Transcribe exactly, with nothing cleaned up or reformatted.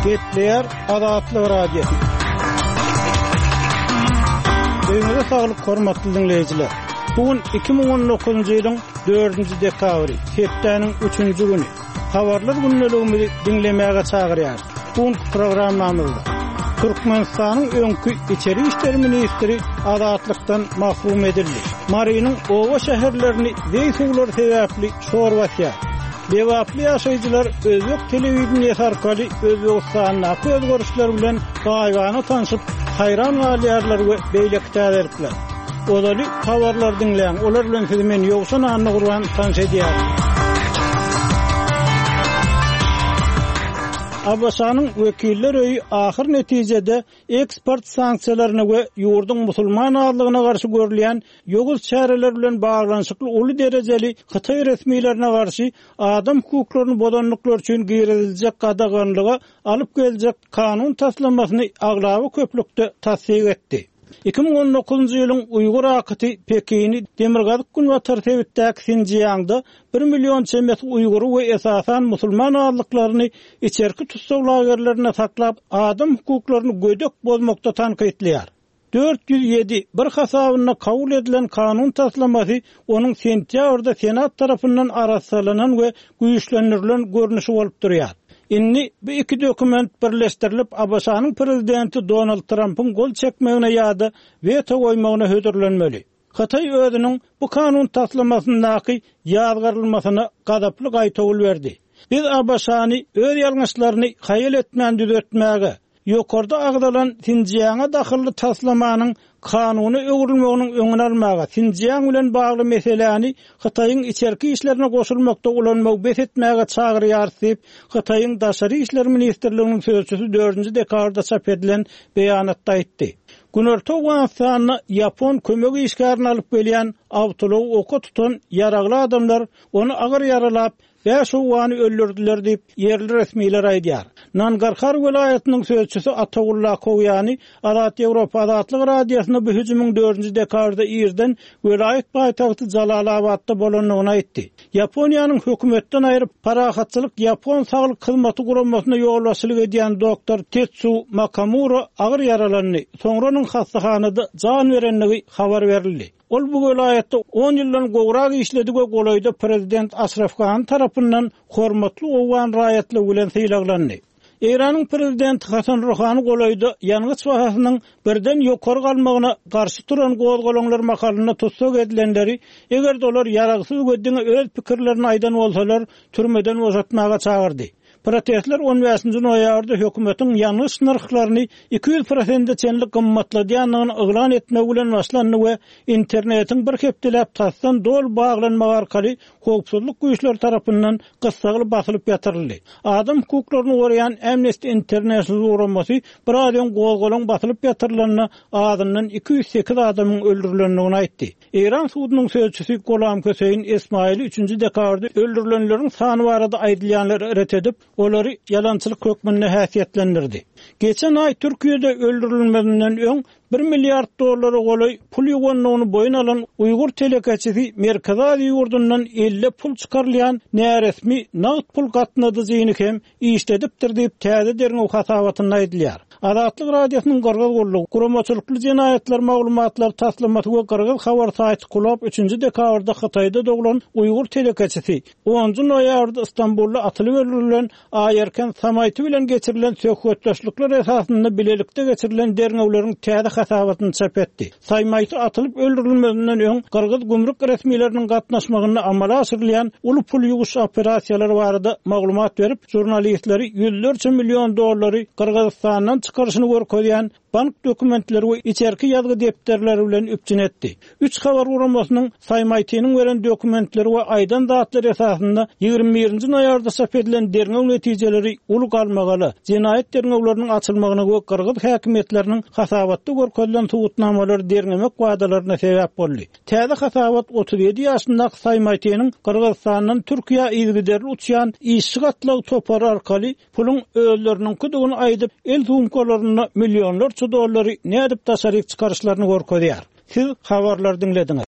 Gepleýär Azatlyk Radiosy. Öýüňize saglyk hormatly diňleýjiler. Bu gün iki müň on dokuzynjy ýylyň dördünji dekabry, hepdäniň üçünji güni. Habarlar gündeligimizi diňlemäge çagyrýar. Bu günki programmamyzda Türkmenistanyň öňki içeri işler ministri azatlykdan mahrum edildi. Marynyň oba şäherlerini zeý suwlary sebäpli şor basýar. Lebaply ýaşaýjylar özbek telewideniýesi arkaly Özbegistandaky özgerişler bilen gaýybana tanşyp, haýran galýarlar we beýleki täzelikler. Ozaly habarlar diňläň, olar bilen sizi men Ýowşan Annagurban tanyş edýärin. A B Ş-nyň wekiller öýi ahyr netijede eksport sanksiýalaryny we ýurduň musulman azlygyna garşy görülýän ýowuz çäreler bilen baglanyşykly uly derejeli Hytaý resmilerine garşy adam hukuklaryny bozanlyklar üçin giriziljek gadaganlyga alyp geljek kanun taslamasyny aglaba köplükde tassyk etdi. Iki müň on dokuzynjy ýylyň Uýgur akyty Pekini Demirgazyk Günbatar sebitdäki Sinjiangda bir million çemesi Uýgury we esasan musulman azlyklaryny içerki tussag lagerlerinde saklap adam hukuklaryny gödek bozmakda tankytlaýar. Dört ýüz ýedi bir hasabynda kabul edilen kanun taslamasy onuň sentýabrda Senat tarapyndan arassalanan we güýçlendirilen görnüşi bolup durýar. Indi bu iki dokument birleşdirilip A B Ş-nyň prezidenti Donald Trump'yň gol çekmegine ýa-da weto goýmagyna hödürlenmeli. Hytaý özüniň bu kanun taslamasyndaky ýazgarylmasyna gazaply gaýtawul berdi. Biz A B Ş-ny öz ýalňyşlaryny haýal etmän düzetmäge, ýokarda agzalan Sinjianga dahylly taslamanyň kanuny öwrülmeginiň öňüni almaga, Sinjiang bilen bagly meseläni Hytaýyň içerki işlerine goşulmakda ulanmagy bes etmäge çagyrýar diýip, Hytaýyň Daşary işler ministrliginiň sözçüsi dördünji dekabrda çap edilen beýanatda aýtdy. Günorta Owganystanda Ýapon kömek işgärini alyp gelýän awtoulag oka tutan ýaragly adamlar ony agyr ýaralap, bäş owgany öldürdüler diýip ýerli resmiler aýdýar. Nangarhar welaýatynyň sözçüsi Atagulla Kowýany Azat Ýewropa Azatlyk Radiosyna bu hüjümiň dördünji dekabrda irden welaýat paýtagty Jalalabatda bolandygyny aýtdy. Ýaponiýanyň hökümetden aýryp parahatçylyk Ýapon saglyk hyzmaty guramasyna ýolbaşçylyk edýän doktor Tetsu Makamura agyr ýaralandy. Soňra onuň hastahanada jan berendigi habar berildi. Ol bu welaýatda on ýyldan gowrak işledi we golaýda prezident Aşraf Gani tarapyndan hormatly owgan raýatlygy bilen sylaglandy. Eýranyň prezidenti Hasan Ruhani golaýda ýangyç bahasynyň birden ýokary galmagyna garşy turan gozgalaňlar mahalynda tussag edilenleri, eger olar ýaragsyz we diňe öz pikirlerini aýdan bolsalar, türmeden boşatmaga çagyrdy. Protestler on bäşinji noýabrda hökümetiň ýangyç nyrhlaryny iki ýüz prosente çenli gymmatladýandygyny yglan etmek bilen başlandy we internetiň bir hepdeläp tasdan doly baglanmagy arkaly howpsuzlyk güýçleri tarapyndan gyssagly basylyp ýatyryldy. Adam hukuklaryny goraýan Amnesty International guramasy bir az öň gozgalaň basylyp ýatyrylanda azyndan iki ýüz sekiz adamyň öldürilendigini aýtdy. Eýran sudunyň sözçüsi Golam Hüseýin Ismaili üçünji dekabrda öldürilenleriň sany barada aýdylýanlary ret edip, olary ýalançylyk hökmünde häsiýetlendirdi. Geçen aý Türkiýede öldürilmezinden öň bir milliard dollara golaý pul ýuwanlygyny boýun alan Uýgur telekeçisi Merkezi Aziýa ýurdundan elle pul çykarylýan näresmi nagt pul gatnadyjyny hem işledipdir diýip täze derňew hasabatynda aýdylýar. Azatlyk Radiosynyň Gyrgyz gullugy, guramaçylykly jenaýatlar maglumatlar taslamasy we Gyrgyz habar saýty Kulap üçünji dekabrda Hytaýda doglan Uýgur telekeçisi onunjy noýabrda Istanbulda atylyp öldürilen Aýerken Samaýty bilen geçirilen söhbetdeşlikler esasynda bilelikde geçirilen derňewleriň täze hasabatyny çap etdi. Samaýty atylyp öldürilmezinden öň Gyrgyz gümrük resmileriniň gatnaşmagynda amala aşyrylýan uly pul ýuwuş operasiýalary barada maglumat berip, jurnalistleri ýüzlerçe million dollary Gyrgyzystandan çykaryşyny görkezýän bank dokumentleri we içerki ýazgy depderleri bilen üpjün etdi. Üç habar guramasynyň Samaýtynyň beren dokumentleri we aýdan zatlary esasynda ýigrimi birinji noýabrda çap edilen derňew netijeleri uly galmagaly, jenaýat derňewleriniň açylmagyna we Gyrgyz häkimiýetleriniň hasabatda görkezilen subutnamalary derňemek wadalaryna sebäp boldy. Täze hasabat otuz ýedi ýaşyndaky Samaýtynyň Gyrgyzystandan Türkiýä yzygiderli uçýan işçi gatlagy topary arkaly puluň özleriniň küdügini aýdyp, el sumkalarynda millionlarça dollary nädip daşary çykaryşlaryny görkezýär. Siz habarlar diňlediňiz.